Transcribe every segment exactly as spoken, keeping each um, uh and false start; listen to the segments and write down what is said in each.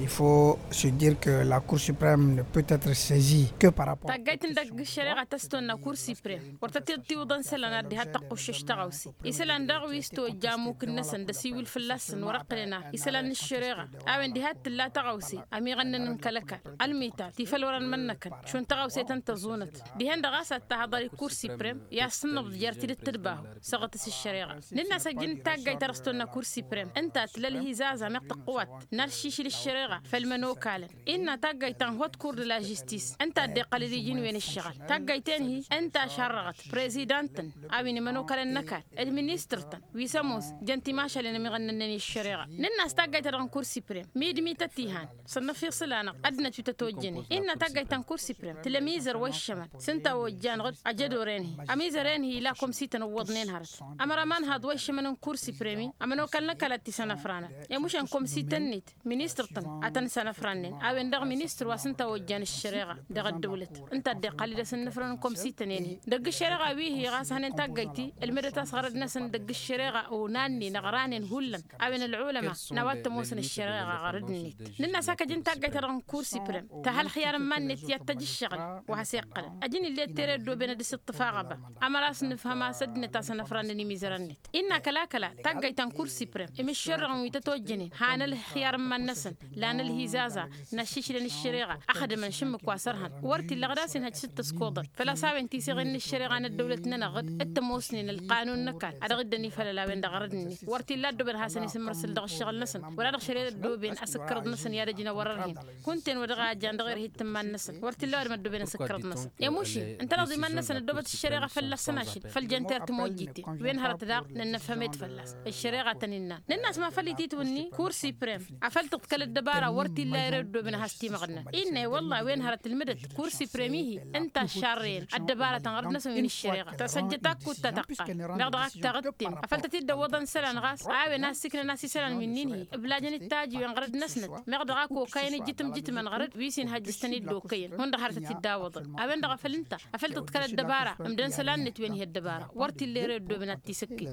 Faut se dire que la cour suprême ne peut être saisie que par rapport. Taggayt n-dăgg ăššăreɣa ta s-tonna kur siprem wăr tăt-iḍtiwǝḍăn isălan ad-diha t-tăqquššeš tăɣawse. Isălan daɣ wi s-tojja amuk-năsăn d-asiwǝl fălla-săn wăr-ăqqǝlăn a isălan n-ăššăreɣa a-wen diha t-tǝlla tăɣawse ămiɣănnăn n-kăl-ăkall ălmital tifăl wăr-ănmănnăkăn šund tăɣawse tăn-tăẓunăt. Dihen-dăɣ a-s ad-tahăḍăr i-kur siprem i-ad-sǝnnǝbḍ jer-tidǝt tǝdbahu săɣǝtǝs ăššăreɣa. Nǝnn'-as ăjjǝn taggayt ta dăɣ-s tonna kur siprem ǝnta tǝla ălhizaza meɣ tăqqǝwat n-ad-šišǝl ăššăreɣa făll-imănokalăn. Innă taggayt ta n-hot kur d-la žistis ǝnta a dd-iqqălăd iji n-wen ǝššăɣǝl taggayt-en-hi ǝnta a šarrăɣăt prezidant-tăn a-wen imănokalăn n-ăkall d-ministăr-tăn wi s-ămoos jăn timašalen ămiɣănnănnen i-ăššăreɣa. Nǝnn'-as taggayt ta dăɣ-n kur siprem mid-mi tăt-ihan sănnăf iṣǝl-anăɣ ăddinăt wi tăt-ojjănen. Innă taggayt ta n-kur siprem tǝla ămizăr wa iššămăn s-ǝnta a ojja ănɣăd ajădor-en-hi ămizăr-en-hi ila komsităn ǝwwăḍnen hărăt. Ămăraman haḍ wa iššămăn n-kur siprem-i ămănokal n-ăkall ad-t-isănăfranăn i-mušăn komsităn-net ministăr-tăn ad-tăn-sănăfrannen a-wen-dăɣ ministăr wa s-ǝnta a ojjan ăššăreɣa dăɣ-ăddăwlăt ǝnta a dd-iqqal-dd asǝnnǝfrăn n-komsităn-en-hi. Dăgg-ăššăreɣa wi-hi ɣas hănen taggayt-i ǝlmǝdăt a-s ɣărăd-năsăn dăgg-ăššăreɣa onannen ăɣranen hullan a-wen ălɣulăma n-a-wa t-ămoosăn ăššăreɣa ɣărăd-net. Nǝnn'-as hak ăjǝn taggayt-ta-dăɣ n-kur siprem tăha ălxiyar n-iman-net i-ad-tăj ǝššăɣǝl wa has-iqqălăn ăjǝn ill'-e d tere ăddooben ad-dăr-s iṭṭǝf aɣăba. Ămăra a-s nǝfhăm a-s ăddinăt a-s ănăfrannăn imizărăn-net. Innă kăla kăla taggayt ta n-kur siprem imiššărrăɣăn wi tăt-ojjănen han ălxiyar n-iman-năsăn lan ălhizaza n-ašišlăn ăššăreɣa ăxdǝmăn šǝmmǝk wa s-ărhăn wăr t-illa ɣǝd a-s inhăjj s-dd-tăskoḍăt făl-a-s a-wen tiseɣen n-ăššăreɣa n-ăddăwlăt-nănăɣ ɣǝd t-ămoosnen ălqanun n-ăkall a dăɣ-dd-ănifăl ălawăn dăɣ-arăd-net wăr t-illa ăddooben ad-hasăn-isǝmmărsǝl dăɣ-ǝššăɣǝl-năsăn wăla dăɣ-šăre d-ăddooben asǝkkărăḍ-năsăn i-ad-ăjnăn wăr-ărhen. Kunta-en wa dăɣ-a ăjjan dăɣ-erhet n-iman-năsăn wăr t-illa ăwadǝm ăddooben asǝkkărăḍ-năsăn i-mušin ǝnta dăɣ-dd-iman-năsăn ăddoobăt ăššăreɣa fălla-săn ašăl făll-jăn tert timojjiten. Wen hărăt daɣ nănnăfhăm-ed fălla-s ăššăreɣa a tăn-innan. Nǝnn'-as ma făl ititwǝnni kur siprem afăl tǝḍkăl ăddăbara wăr t-illa ere ăddooben ad-has-timăɣnăn. Innă i-wălla a-wen hărăt ǝlmǝdăt kur siprem-i-hi ǝnta a šarrăyăn ăddăbara ta n-ɣărăt-năsăn wi n-ăššăreɣa tăsăjjăt akut ta tăqqar meɣ dăɣ-ak taɣǝttem afăl tăt-dd-ăwwăḍăn isălan ɣas a-wen a ăssiiknăn a-s isălan wi ǝnnin-hi ǝblajăn d-taji wi n-ɣărăd-năsnăt meɣ dăɣ-ak okayăn ijjǝtǝm jǝtmăn ɣărăd wi s-inhăjj s-tăn-dd-okăyăn hundăɣ hărăt a t-dd-awăḍăn. A-wen-dăɣ a făl ǝnta afăl tǝḍkăl ăddăbara ǝmdăn isălan-net wen hi-ăddăbara wăr t-illa ere ăddooben ad-t-isǝkki.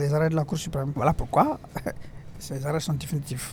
Les arrêts de la cour suprême, voilà pourquoi ces arrêts sont définitifs.